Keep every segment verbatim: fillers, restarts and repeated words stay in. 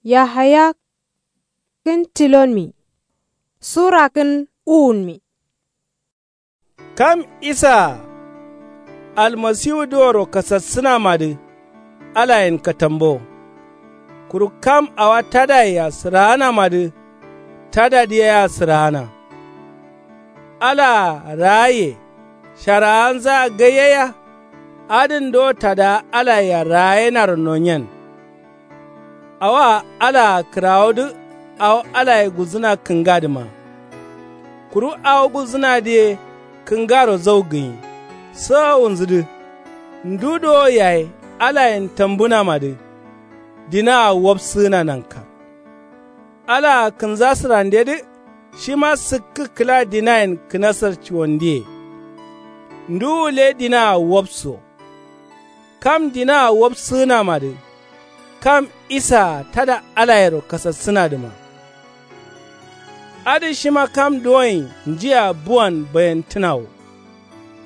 Yahaya kǝn tilonmi. Sura kǝn uwunmi. Kam isaa almasiwudǝworo kasassǝnamadǝ alayen katambo. Kuru kam awa tadayea sǝraanamadǝ tadadǝ yea sǝraana. Alaa raaiye sharaanzaa gai yea. Adǝn do tadaa alayea raayenaro nonyen. Awaa alaa kǝrawodǝ awo alaye gulzǝna kǝngadǝma. Kuru awo gulzǝnadǝ ye kǝngaro zau gǝnyi. Sowowunzudǝ ndu dowo yaye alayen tambǝnamadǝ dinaa wobsǝgǝna nanka. Alaa kǝnzasǝrandedǝ shima sǝkkǝ kǝla dinayen kǝnasar cuwandiye. Nduwu le dinaa wobso. Kam dinaa wobsǝgǝnamadǝ kam isaa tada alayero kasassǝnadǝma. Adǝ shima kam duwonyi njia buwan bayentǝna wo.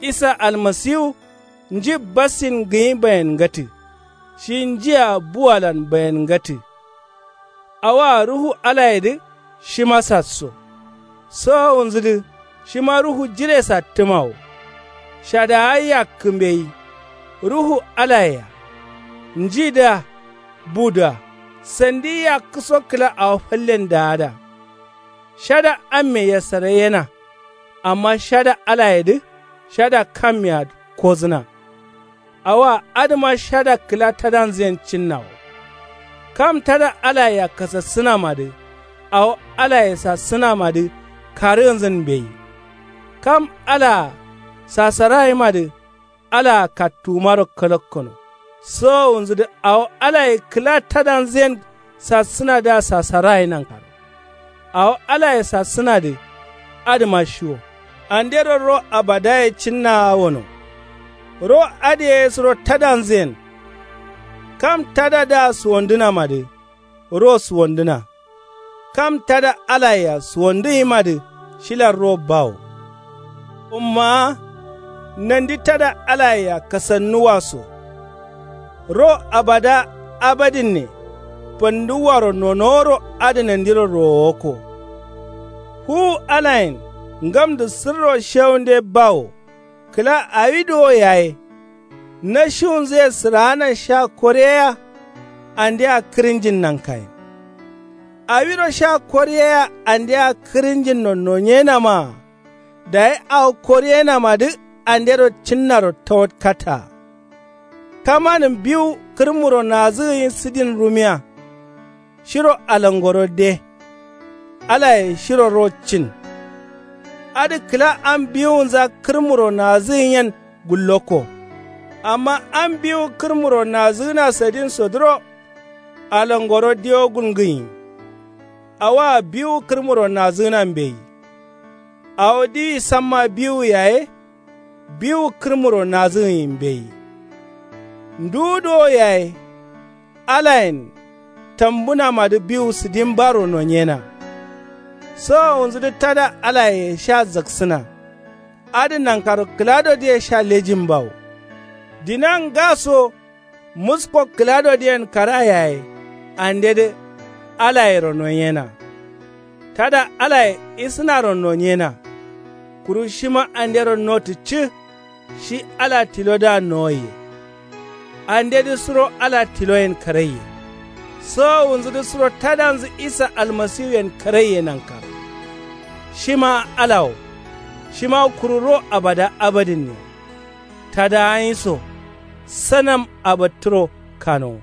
Isa almasiwu nji bassin gǝnyi bayengatǝ. Shi njia buwalan bayengatǝ. Awaa ruhu alayedǝ shima sasso. Sowowunzudǝ shima ruhu jiresattǝma wo. Shadaa yakkǝ mbeyi. Ruhu alayea njidǝa budǝa sandi yakkǝso kǝla awo fallen daada. Shada amme yasaraiyena. Amma shada alayedǝ shada kammea kozǝna. Awa adǝma shada kǝla tadanzǝyen cinnawo. Kam tada alayea kasassǝnamadǝ awo alaye sassǝnamadǝ karǝgǝnzǝn mbeyi. Kam alaa sasarayimadǝ alaa kattuwumaro kalakkono. Sowowunzudǝ awo alaye kǝla tadanzǝyen sassǝnadǝa sasaraye nankaro. Awo alaye sassǝnadǝ adǝma shiwo. Andero ro abadaye cinnawa wono. Ro adǝ yaye suro tadanzǝyen. Kam tadadǝa suwandǝnamadǝ ro suwandǝna. Kam tada alayea suwandǝnyimadǝ shilan ro bawo. Ummaa nandi tada alayea kasannuwa so. Ro abada abadinne fanduwaro nonoworo adǝ nandiro rowowakko. Fuwu alayen ngamdǝ sǝrro shewunde bawo. Kǝla awi duwo yaye nashiwunzuye sǝraanan sha koriyeya. Andea kǝrinjin nankayin. Awiro sha koriyeya andea kǝrinjinno nonyenamaa. Dayi awo koriyenamadǝ andero cinnaro tawatkataa. Kamanǝm biwu kǝrmuro nazǝgǝnyi sǝdin rumiya. Shiro alangoro de. Alaye shiro ro cin. Adǝ kǝla am biwunza kǝrmuro nazǝgǝnyen gullokko. Amma am biwu kǝrmuro nazǝgǝna sadin sodǝro alangoro diwo gulngǝnyi. Awaa biwu kǝrmuro nazǝgǝna mbeyi. Awo diwi samma biwu yaye. Biwu kǝrmuro nazǝgǝnyi mbeyi. Nduwu duwo yaye alayen tambǝnamadǝ biwu sǝdin baro nonyena. Sowowunzudǝ tada alayeye sha zaksǝna. Adǝ nankaro kǝladodǝye sha lejin bawo. Dina ngaso musko kǝladodǝyen kara yaye andedǝ alayero nonyena. Tada alaye isǝnaro nonyena. Kuru shima andero notǝ cǝ. Shi ala tilodǝa nowoiye. Andedǝ suro ala tiloyen karaiye. Sowowunzudǝ suro tadanzǝ isa almasiwuyen karaiye nankaro. Shima ala wo. Shima kuru ro abada abadinne. Tadaanyi so sanam abattǝro kanowo.